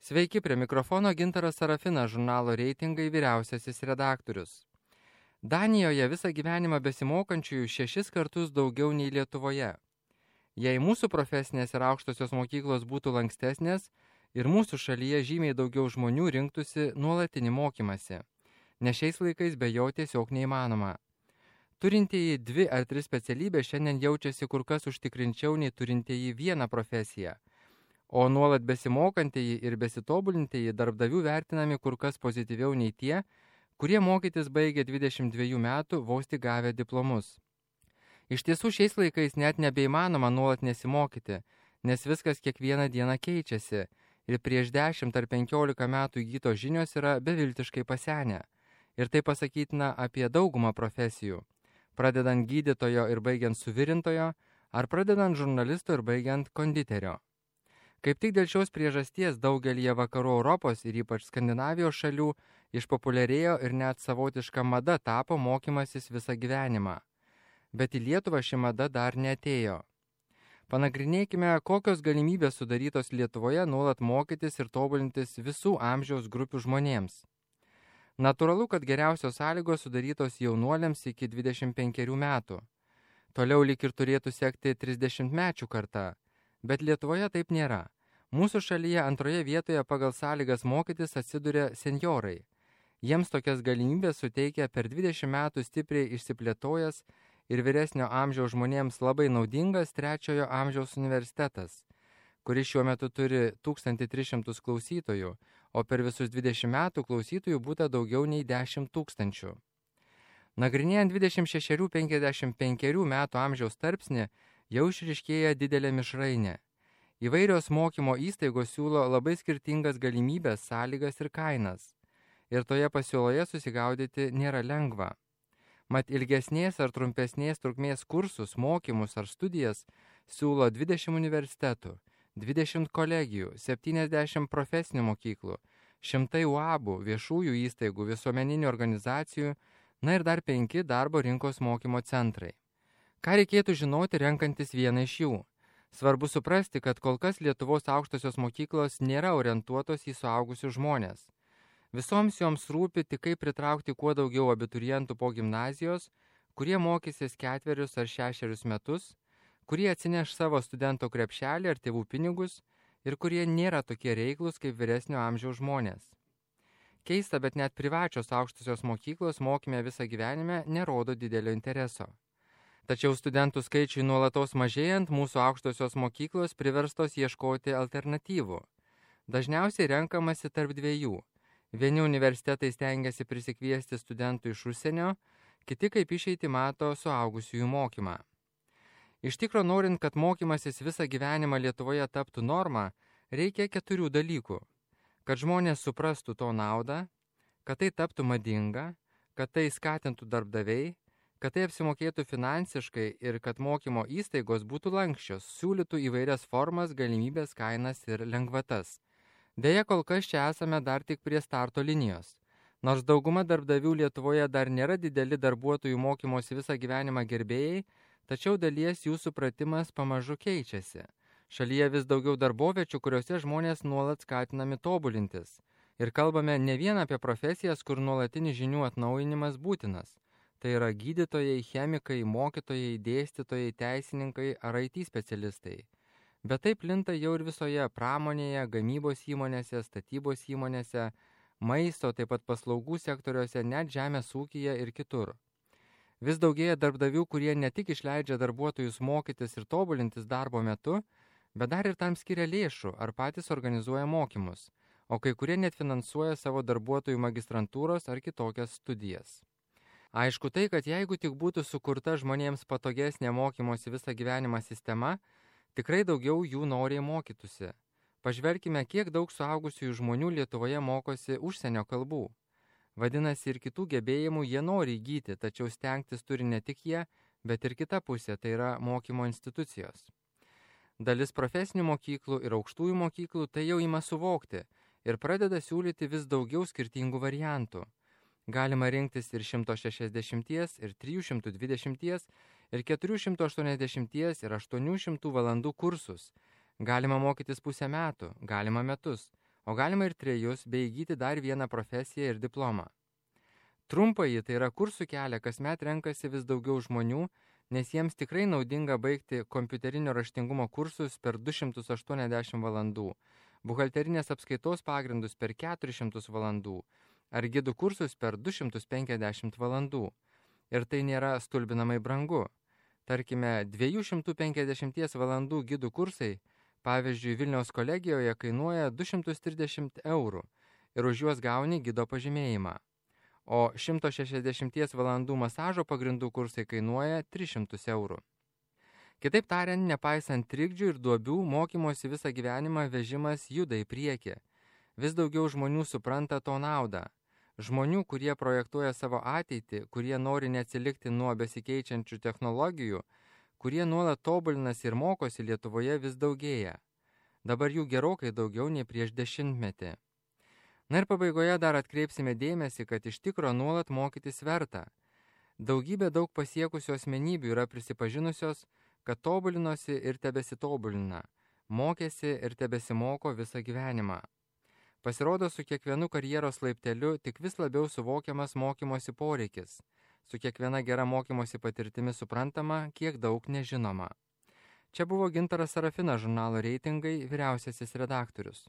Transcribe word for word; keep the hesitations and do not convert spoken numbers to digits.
Sveiki, prie mikrofono Gintaras Sarafinas, žurnalo Reitingai vyriausiasis redaktorius. Danijoje visą gyvenimą besimokančiųjų šešis kartus daugiau nei Lietuvoje. Jei mūsų profesinės ir aukštosios mokyklos būtų lankstesnės ir mūsų šalyje žymiai daugiau žmonių rinktųsi nuolatinį mokymasi, nes šiais laikais be jo tiesiog neįmanoma. Turintieji dvi ar tris specialybės šiandien jaučiasi kur kas užtikrinčiau nei turintieji vieną profesiją, o nuolat besimokantieji ir besitobulintieji darbdavių vertinami kur kas pozityviau nei tie, kurie mokytis baigė dvidešimt dviejų metų vos tik gavę diplomus. Iš tiesų šiais laikais net nebeįmanoma nuolat nesimokyti, nes viskas kiekvieną dieną keičiasi ir prieš dešimt ar penkiolika metų įgytos žinios yra beviltiškai pasenę. Ir tai pasakytina apie daugumą profesijų, pradedant gydytojo ir baigiant suvirintojo, ar pradedant žurnalisto ir baigiant konditerio. Kaip tik dėl šios priežasties daugelyje vakarų Europos ir ypač Skandinavijos šalių išpopuliarėjo ir net savotiška mada tapo mokymasis visą gyvenimą. Bet į Lietuvą ši mada dar neatėjo. Panagrinėkime, kokios galimybės sudarytos Lietuvoje nuolat mokytis ir tobulintis visų amžiaus grupių žmonėms. Natūralu, kad geriausios sąlygos sudarytos jaunuoliams iki dvidešimt penkerių metų. Toliau lyg ir turėtų sekti trisdešimtmečių karta, bet Lietuvoje taip nėra. Mūsų šalyje antroje vietoje pagal sąlygas mokytis atsiduria senjorai. Jiems tokias galimybės suteikia per dvidešimt metų stipriai išsiplėtojęs ir vyresnio amžiaus žmonėms labai naudingas trečiojo amžiaus universitetas, kuris šiuo metu turi tūkstantį tris šimtus klausytojų, o per visus dvidešimt metų klausytojų būta daugiau nei dešimt tūkstančių. Nagrinėjant dvidešimt šešerių iki penkiasdešimt penkerių metų amžiaus tarpsnį, jau išryškėja didelė mišrainė. Įvairios mokymo įstaigos siūlo labai skirtingas galimybės, sąlygas ir kainas. Ir toje pasiūloje susigaudyti nėra lengva. Mat ilgesnės ar trumpesnės trukmės kursus, mokymus ar studijas siūlo dvidešimt universitetų, dvidešimt kolegijų, septyniasdešimt profesinių mokyklų, šimtai U A B ų, viešųjų įstaigų, visuomeninių organizacijų, na ir dar penki darbo rinkos mokymo centrai. Ką reikėtų žinoti renkantis vieną iš jų? Svarbu suprasti, kad kol kas Lietuvos aukštosios mokyklos nėra orientuotos į suaugusius žmonės. Visoms joms rūpi tik kaip pritraukti kuo daugiau abiturientų po gimnazijos, kurie mokysis ketverius ar šešerius metus, kurie atsineš savo studento krepšelį ar tėvų pinigus ir kurie nėra tokie reiklus kaip vyresnio amžiaus žmonės. Keista, bet net privačios aukštosios mokyklos mokyme visą gyvenime nerodo didelio intereso. Tačiau studentų skaičiui nuolatos mažėjant, mūsų aukštosios mokyklos priverstos ieškoti alternatyvų. Dažniausiai renkamasi tarp dviejų. Vieni universitetai stengiasi prisikviesti studentų iš užsienio, kiti kaip išeiti mato suaugusiųjų mokymą. Iš tikro, norint, kad mokymasis visą gyvenimą Lietuvoje taptų norma, reikia keturių dalykų. Kad žmonės suprastų to naudą, kad tai taptų madinga, kad tai skatintų darbdaviai, kad tai apsimokėtų finansiškai ir kad mokymo įstaigos būtų lankščios, siūlytų įvairias formas, galimybės, kainas ir lengvatas. Deja, kol kas čia esame dar tik prie starto linijos. Nors dauguma darbdavių Lietuvoje dar nėra dideli darbuotojų mokymosi visą gyvenimą gerbėjai, tačiau dalies jų supratimas pamažu keičiasi. Šalyje vis daugiau darboviečių, kuriuose žmonės nuolat skatinami tobulintis. Ir kalbame ne vien apie profesijas, kur nuolatinis žinių atnaujinimas būtinas. Tai yra gydytojai, chemikai, mokytojai, dėstytojai, teisininkai ar I T specialistai. Bet tai plinta jau ir visoje pramonėje, gamybos įmonėse, statybos įmonėse, maisto, taip pat paslaugų sektoriuose, net žemės ūkyje ir kitur. Vis daugėja darbdavių, kurie ne tik išleidžia darbuotojus mokytis ir tobulintis darbo metu, bet dar ir tam skiria lėšų ar patys organizuoja mokymus, o kai kurie net finansuoja savo darbuotojų magistrantūros ar kitokias studijas. Aišku tai, kad jeigu tik būtų sukurta žmonėms patogesnė mokymosi visą gyvenimą sistema, tikrai daugiau jų noriai mokytųsi. Pažvelkime, kiek daug suaugusiųjų žmonių Lietuvoje mokosi užsienio kalbų. Vadinasi, ir kitų gebėjimų jie nori įgyti, tačiau stengtis turi ne tik jie, bet ir kita pusė, tai yra mokymo institucijos. Dalis profesinių mokyklų ir aukštųjų mokyklų tai jau ima suvokti ir pradeda siūlyti vis daugiau skirtingų variantų. Galima rinktis ir šimto šešiasdešimties, ir trijų šimtų dvidešimties, ir keturių šimtų aštuoniasdešimties, ir aštuonių šimtų valandų kursus. Galima mokytis pusę metų, galima metus, o galima ir trejus, bei įgyti dar vieną profesiją ir diplomą. Trumpąjį, tai yra kursų kelią, kasmet renkasi vis daugiau žmonių, nes jiems tikrai naudinga baigti kompiuterinio raštingumo kursus per du šimtus aštuoniasdešimt valandų, buhalterinės apskaitos pagrindus per keturis šimtus valandų, ar gidų kursus per du šimtus penkiasdešimt valandų. Ir tai nėra stulbinamai brangu. Tarkime, dviejų šimtų penkiasdešimties valandų gidų kursai, pavyzdžiui, Vilniaus kolegijoje kainuoja du šimtus trisdešimt eurų ir už juos gauni gido pažymėjimą. O šimto šešiasdešimties valandų masažo pagrindų kursai kainuoja tris šimtus eurų. Kitaip tariant, nepaisant trikdžių ir duobių, mokymosi visą gyvenimą vežimas juda į priekį. Vis daugiau žmonių supranta to naudą. Žmonių, kurie projektuoja savo ateitį, kurie nori neatsilikti nuo besikeičiančių technologijų, kurie nuolat tobulinasi ir mokosi, Lietuvoje vis daugėja. Dabar jų gerokai daugiau nei prieš dešimtmetį. Na ir pabaigoje dar atkreipsime dėmesį, kad iš tikro nuolat mokytis verta. Daugybė daug pasiekusių asmenybių yra prisipažinusios, kad tobulinosi ir tebesitobulina, mokėsi ir tebesimoko visą gyvenimą. Pasirodo, su kiekvienu karjeros laipteliu tik vis labiau suvokiamas mokymosi poreikis, su kiekviena gera mokymosi patirtimi suprantama, kiek daug nežinoma. Čia buvo Gintaras Sarafinas, žurnalo Reitingai vyriausiasis redaktorius.